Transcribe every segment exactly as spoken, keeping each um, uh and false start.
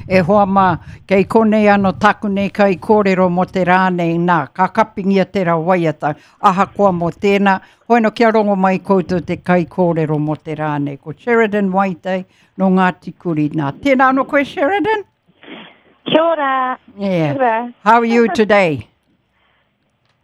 E hoa mā, kei konei anō taku nei kai kōrero mō te rā nei, nā, ka kapingia te rā waiata, ahakoa mō tēnā, hoeno kia rongo mai koutou te kai kōrero mō te rā nei. Ko Sheridan Waitai no Ngāti Kuri. Nā, tēnā anō koe, Sheridan? Kia ora. Yeah. Kia ora. How are you today?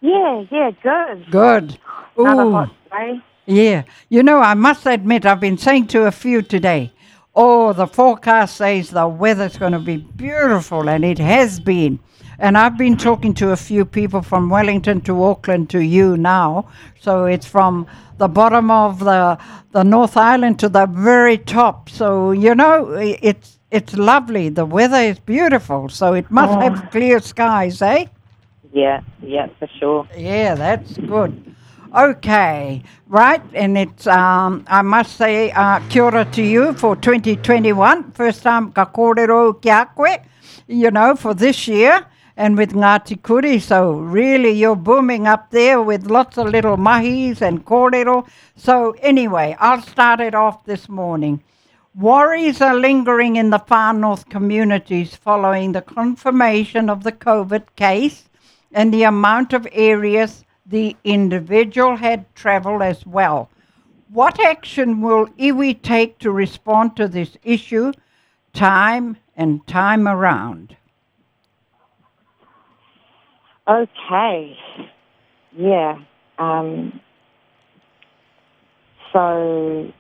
Yeah, yeah, good. Good. Another Ooh. hot day. Yeah. You know, I must admit, I've been saying to a few today, oh, the forecast says the weather's going to be beautiful, and it has been. And I've been talking to a few people from Wellington to Auckland to you now. So it's from the bottom of the, the North Island to the very top. So, you know, it's, it's lovely. The weather is beautiful. So it must Oh. have clear skies, eh? Yeah, yeah, for sure. Yeah, that's good. Okay, right, and it's, um, I must say, uh, kia ora to you for twenty twenty-one. First time ka kōrero ki a koe, you know, for this year, and with Ngāti Kuri. So really you're booming up there with lots of little mahis and kōrero. So anyway, I'll start it off this morning. Worries are lingering in the Far North communities following the confirmation of the COVID case and the amount of areas the individual had travelled as well. What action will iwi take to respond to this issue time and time around? Okay. Yeah. Um, so,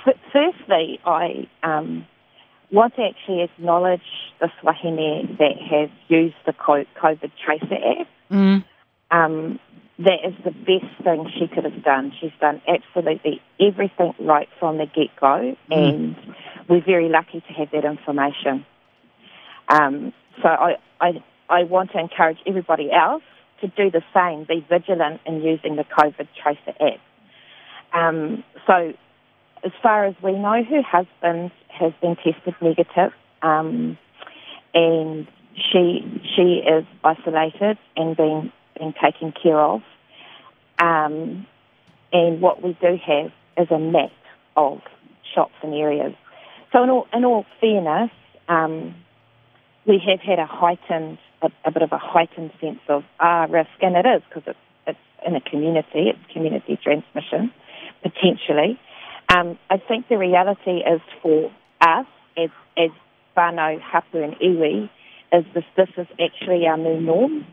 f- firstly, I um, want to actually acknowledge the wahine that has used the COVID Tracer app. Mm. Um, that is the best thing she could have done. She's done absolutely everything right from the get-go, mm. and we're very lucky to have that information. Um, so I, I, I want to encourage everybody else to do the same, be vigilant in using the COVID Tracer app. Um, so as far as we know, her husband has been tested negative, um, and she she is isolated and being, being taken care of. Um, and what we do have is a map of shops and areas. So in all, in all fairness, um, we have had a heightened, a, a bit of a heightened sense of ah, risk, and it is because it's, it's in a community, it's community transmission, potentially. Um, I think the reality is for us as, as whānau, hapu and iwi is this, this is actually our new norm.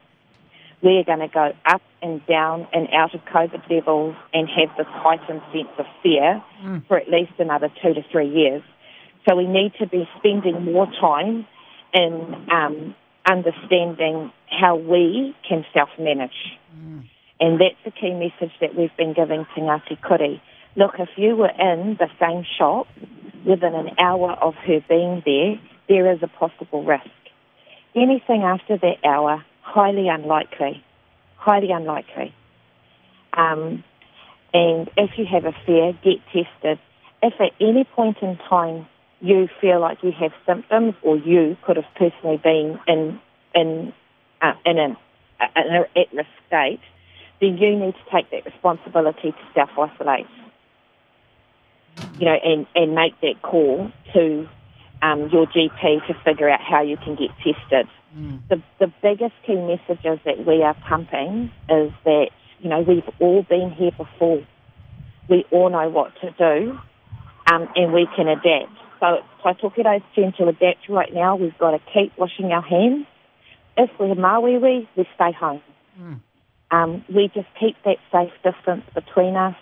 We're going to go up and down and out of COVID levels and have this heightened sense of fear mm. for at least another two to three years. So we need to be spending more time in um, understanding how we can self-manage. Mm. And that's the key message that we've been giving to Ngāti Kuri. Look, if you were in the same shop within an hour of her being there, there is a possible risk. Anything after that hour, highly unlikely, highly unlikely. Um, and if you have a fear, get tested. If at any point in time you feel like you have symptoms or you could have personally been in, in, uh, in an, in an at-risk state, then you need to take that responsibility to self-isolate, you know, and, and make that call to um, your G P to figure out how you can get tested. Mm. The, the biggest key messages that we are pumping is that, you know, we've all been here before. We all know what to do, um, and we can adapt. So it's Tai Tokerau's turn to adapt right now. We've got to keep washing our hands. If we're māuiui, we stay home. Mm. Um, we just keep that safe distance between us.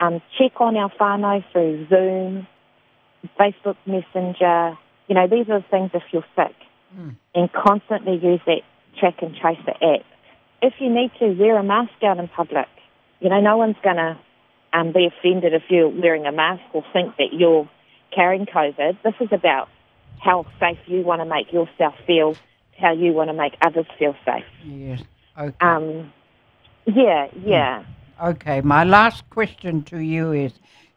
Um, check on our whānau through Zoom, Facebook Messenger. You know, these are the things if you're sick. Mm. And constantly use that track and tracer app. If you need to, wear a mask out in public. You know, no one's going to um, be offended if you're wearing a mask or think that you're carrying COVID. This is about how safe you want to make yourself feel, how you want to make others feel safe. Yes. Okay. Um, yeah, yeah. Okay, my last question to you is,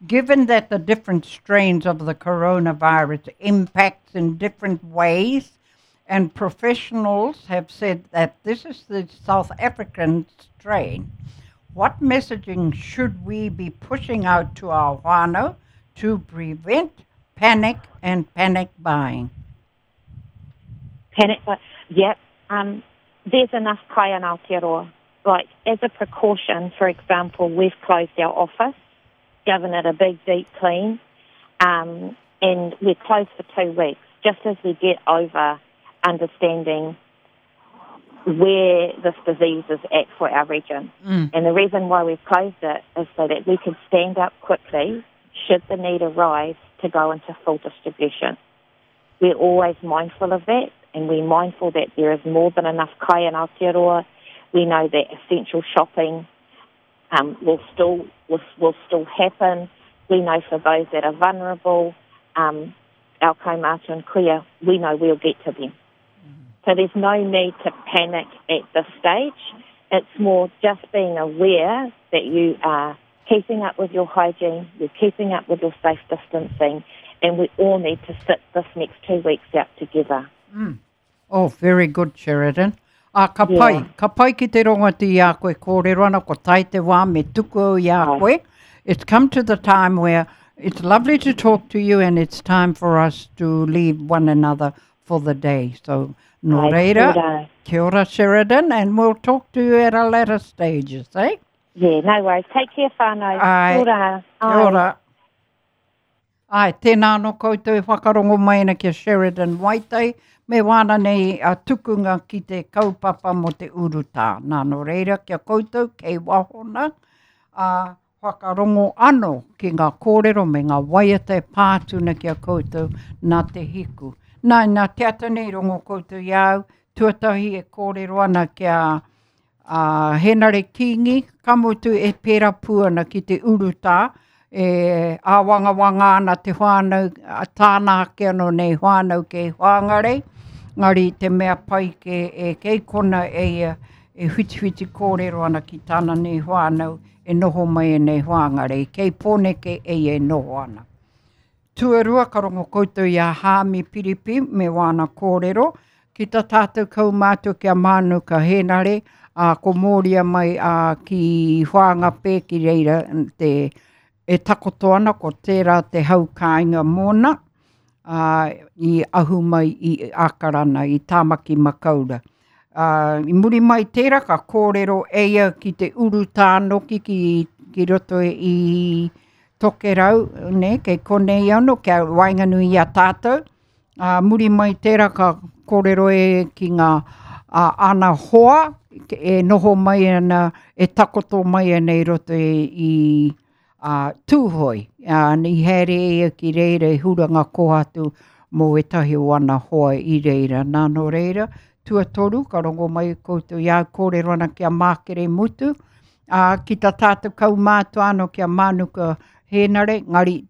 given that the different strains of the coronavirus impacts in different ways, and professionals have said that this is the South African strain, what messaging should we be pushing out to our whānau to prevent panic and panic buying? Panic buy. Yep. Um, there's enough kai in Aotearoa. Like, as a precaution, for example, we've closed our office, given it a big, deep clean, um, and we're closed for two weeks, just as we get over understanding where this disease is at for our region. Mm. And the reason why we've closed it is so that we could stand up quickly, should the need arise, to go into full distribution. We're always mindful of that, and we're mindful that there is more than enough kai in Aotearoa. We know that essential shopping um, will still will, will still happen. We know for those that are vulnerable, um, our kaumātua and kuia, we know we'll get to them. So there's no need to panic at this stage. It's more just being aware that you are keeping up with your hygiene, you're keeping up with your safe distancing, and we all need to sit this next two weeks out together. Mm. Oh, very good, Sheridan. Ah, ka pai, Yeah. ka pai ki te rongo atu i a koe kōrero ana, ko tae te wā me tuku au i a Ai. koe. It's come to the time where it's lovely to talk to you and it's time for us to leave one another for the day. So, nō Ai, reira, kia ora. kia ora, Sheridan, and we'll talk to you at a later stages, eh? Yeah, no worries. Take care, whānau. Ai. Kia ora. Kia Ai. ora. Ai, tēnā anō koutou e whakarongo mai ana ki a Sheridan Waitai, me wāna nei a tukunga ki te kaupapa mo te urutā. Nā, nō reira, kia koutou kei wahona, a whakarongo anō ki ngā kōrero me ngā waiata e pātuna ki a koutou nā te hiku. Nā, nā te ata nei rongo koutou i au, tuatahi e kōrero ana kia a Henare Kingi, ka mutu e pērā pū ana ki te urutā, e āwangawanga ana te whānau, a tāna ake anō nei whānau kei Whangarei, ngari te mea pai ke e kei kona e ia e whitiwhiti kōrero ana ki tāna nei whānau e noho mai e nei Whangarei, kei Pōneke e ia e noho ana. Tuarua ka rongo koutou i a Hāmi Piripi me wāna kōrero, ki tā tātou kaumātua ki a Mānuka Henare, a ko Mōria mai a ki Whangape ki reira te e takoto ana ko tērā te hau kāinga mōna, a, i ahu mai i Akarana, i Tāmaki Makaura. Uh, I muri mai tērā ka kōrero e ia ki te urutā noki ki, ki roto i Tokerau, ne, kei konei ano, kia waenganui i a tātou. Uh, muri mai tērā ka kōrero e ki ngā uh, ana hoa, e noho mai ana, e takoto mai ana i roto i, i uh, Tūhoi. Uh, i haere ia ki reira e huranga kohatu mō ētahi o ana hoa i reira. Nā nō reira, tuatoru, ka rongo mai koutou i a kōrero ana ki a Mākere Mutu, uh, ki tā tātou kaumātua anō ki a Mānuka Hēnare, ngari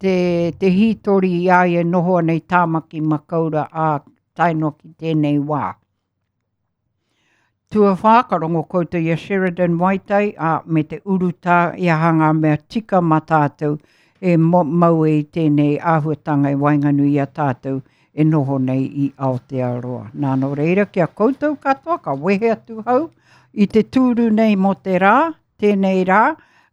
te, te hītori i a ia noho ana i Tāmaki Makaura a tae noa ki tēnei wā. Tuawhā, ka rongo koutou i a Sheridan Waitai, a, me te urutā i aha ngā mea tika mā tātou e mo, mau e i tēnei āhuatanga e waenganui i a tātou e noho nei i Aotearoa. Nā nō reira, kia koutou katoa, ka wehe atu hau i te tūru nei mō te rā, tēnei rā,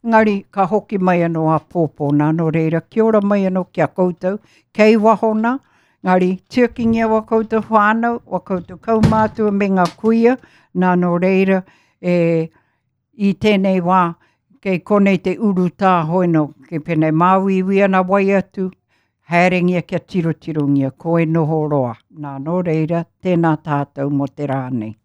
ngari ka hoki mai anō a pōpō. Nā nō reira, kia ora mai anō kia koutou, kei wahona, ngari tiakingia wa koutou whānau, wa koutou kaumātua me ngā kuia, nā nō reira, e, i tēnei wā, kei konei te urutā hoino, kei pēnei māuiui ana wai atu, haerengia kia tirotirongia, koe noho roa. Nā nō reira, tēnā tātou mō te rā nei.